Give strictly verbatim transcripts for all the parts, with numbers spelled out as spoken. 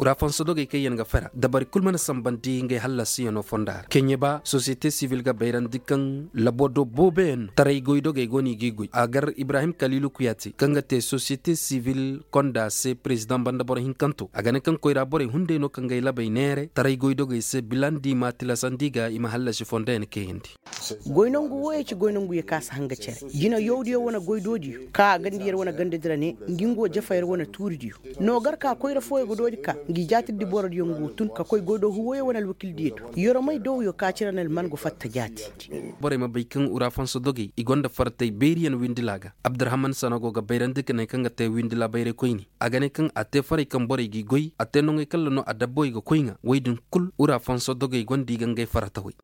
Ura fansa dogey kaŋ yaŋ ga fara dabari kul mana sambandi ngey hallasiyanoo fonda ra keɲe ba sosiyete sivil ga bayrandi kaŋ labo do booboyaŋ no taray goy dogey go no i g'i goy a gar ibrahim kaliilu kuyaate kaŋ ga te sosiyete sivil konda se perezidaŋ banda boro hinkanto a ga ne kaŋ koyra borey hunday no kaŋ ga ay labey neere taray goy dogey se bila nda i m'a tilasandi ga i ma hallasi fonda yaŋ kayandi. Goy nangu wooyey ci goy nangu ye ka si hanga cere jina yawdiyo wane goy doodiyo ka a ganda yer wane ganda dira ne ngi ngo jafa yer wane tuuridiyo. No gar ka koyra fooyo ga doodi ka ngi jaatirdi borodiyo ngu tun ka koy goy do huwoyo wane alwakildiyo do. Yeromey dowyo ka cire na alman go fatta jaati. Borey ma bay kaŋ ura fansa dogey i gonda fartey beeriyaŋ windila ga. Abdurahman sana go ga bayrandi ka ne kaŋ ga te windila bayray koyne a ga ne kaŋ a te farey kaŋ borey g'i goy a te noŋey kaŋ ra no adabbawey ga koy ŋa woy din kul ura fansa dogey gonda i ga ngey farata way.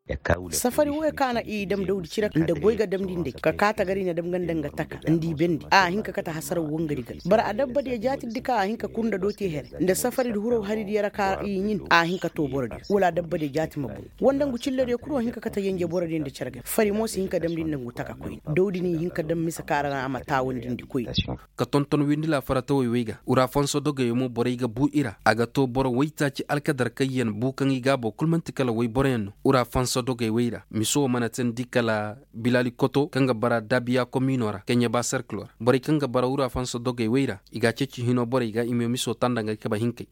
Safari wooyo ka na i dam dawdi cire nda goy ga damndi ndey ka kaa tagari na dam ga nda nga taka nda i bendi a hin ka kate hasaraw wangari ga bara adabbadiyo jaatirdi ka a hin ka kur nda dooti here nda safaridi huraw haridiyo ra ka i ɲin a hin ka too borodiyo wala adabbadiyo jaati ma boŋ. Wanda ngu cilladiyo kul wo hin ka kate yenje borodiyo nda cere ga fari mo si hin ka damndi nda ngu taka koyne dawdi n'i hin ka dam mise ka ra na a ma taawandindi koyne. Ka tonton windila faratawey wey ga ura fanso dogey mo borey ga bu i ra a ga to boro waytaaci alkadar kaŋ yaŋ bu kaŋ i gaabo kul man'ti kala wayboroyaŋ no. Ura fanso dogey wey ra miso wo mana teendi kala bilali koto kaŋ ga bara dabiya komiino ra keɲe ba serkilo ra borey kaŋ ga bara ura fanso dogey wey ra i ga a ceeci hino borey ga i ma miso tanda nga kaba hinkey.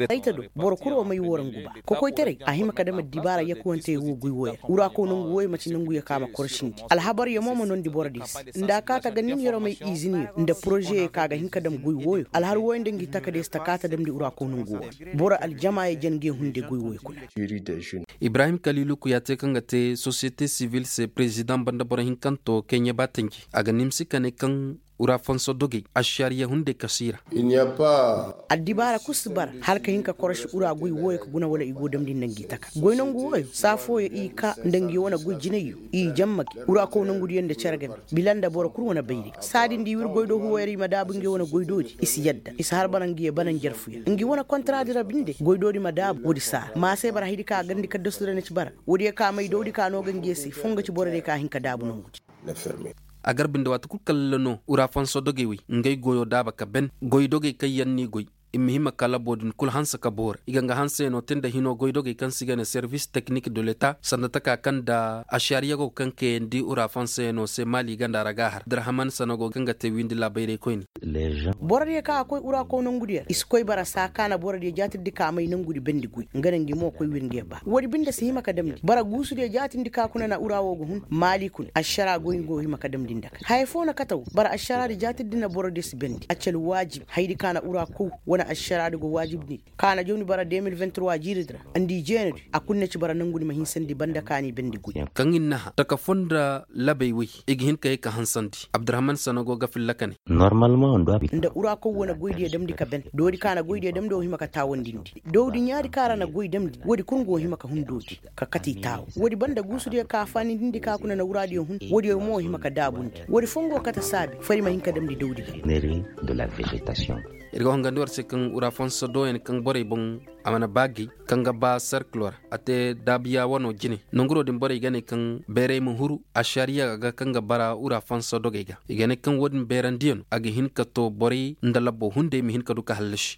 Ay ta do boro kul wo may woo ra ngu ba kokoytaray a hima ka dam addibaara yakuwantey wo goy wooyo ra wura kaw nangu wooyo man'ti nanguyo ka ma korosindi alhabaryo mo ma noondi borodiyo se nda a kaata ga nin yeromey izinyo nda porozeyoo ka ga hin ka dam goy wooyo alhar wooyo nda ngi takadiyo se ta kaata damndi wura kaw nangu wooyo ra boro aljamaayo jen nge hunday goy wooyo kuna. Ibrahim kaliilu kuyaa te kaŋ ga te sosiyete sivil se perezidaŋ banda boro hinkanto keɲe ba tanji a ga nimsi ka ne kaŋ ura fanso dogey ašariya hunday kasi i ra. Addibaara kul si bara hala ka hin ka korosi ura goy wooyo ka guna wala i go damndi nda ngi taka goy nangu wooyo saa fooyo i kaa nda ngi wane goy jinayyo i jamma gi ura kaw nangudiyo nda cere game bila nda boro kul wane bayray saa din da i wir goy do huway ra i ma daabu ngi wane goy doodi i si yadda i si har bara ngi ye bana njarfuyaŋ ngi wane kontaraadi ra binde goy doodi ma daabu woodi saa ra maa se bara haydi ka garndi kaddasu ra na ci bara woodiyo ka may dawdi ka no ga ngi ye se foo nga ci borodiyo ka hin ka daabu nongudi. A garbi nda waati kul kalla no ura fanso dogey wey ngey goyoo daaba ka ben goy dogey kaŋ yaŋ n'i goy i ma hima ka laboo din kul hanse ka boori i ga nga hanseyanoo tee nda hinoo goy dogey kaŋ se i ga ne servis teknik de leta sanda taka kaŋ nda ašariya go kaŋ kayandi ura fanseyanoo se maali ganda ra ga a har abdurahman sanago kaŋ ga te wiindi laabayray koyne. Borodiyo kaŋ a koy ura kaw nongudiyo ra i si koy bara saa ka na borodiyo jaatirdi ka may nongudi bendi goy nga na ngi mo koy wir nge ba woodi binde si hima ka damndi bara guusudiyo jaatirdi ka kuna na ura woo ga hun maali kuna ašaraa goy nga wo hima ka damndi nda ka haya foo na kate wo bara ašaraadi jaatirdi na borodiyo si bendi a ci alwaajib hayadi ka na ura kow wane ašaraadi go waajibndi ka na jawni bara de mil vingt trois jiiridi ra nda i jeenedi a kul na ci bara nongudi ma hinsandi banda ka n'i bendi goy. Kaŋ i na naha taka foo nda labey wey i ga hin ka ye ka hansandi abdurahman sanago ga filla ka ne. Nda ura kaw wane goydiyo damndi ka ben doodi ka na goydiyo damndi wo hima ka taawandindi dowdi ɲaadi ka ra na goy damndi woodi kul nga wo hima ka hun doodi ka kate i taawo woodi banda guusudiyo ka faanindindi ka kuna na wuraadiyo hun woodiyo mo hima ka daabundi woodi foo nga wo kate saabi fari ma hin ka damndi dowdi ga. Ir ga hongandi war se kaŋ ura fanso dooyaŋ kaŋ borey boŋ a mana ba gay kaŋ ga ba serkilo ra a te daabiya wano jine nonguroo din borey ga ne kaŋ bayray ma huru ašariya ga kaŋ ga bara ura fanso dogey ga i ga ne kaŋ woo din bayrandiyano a ga hin ka to borey nda labbo hunday ma hin ka du ka hallasi.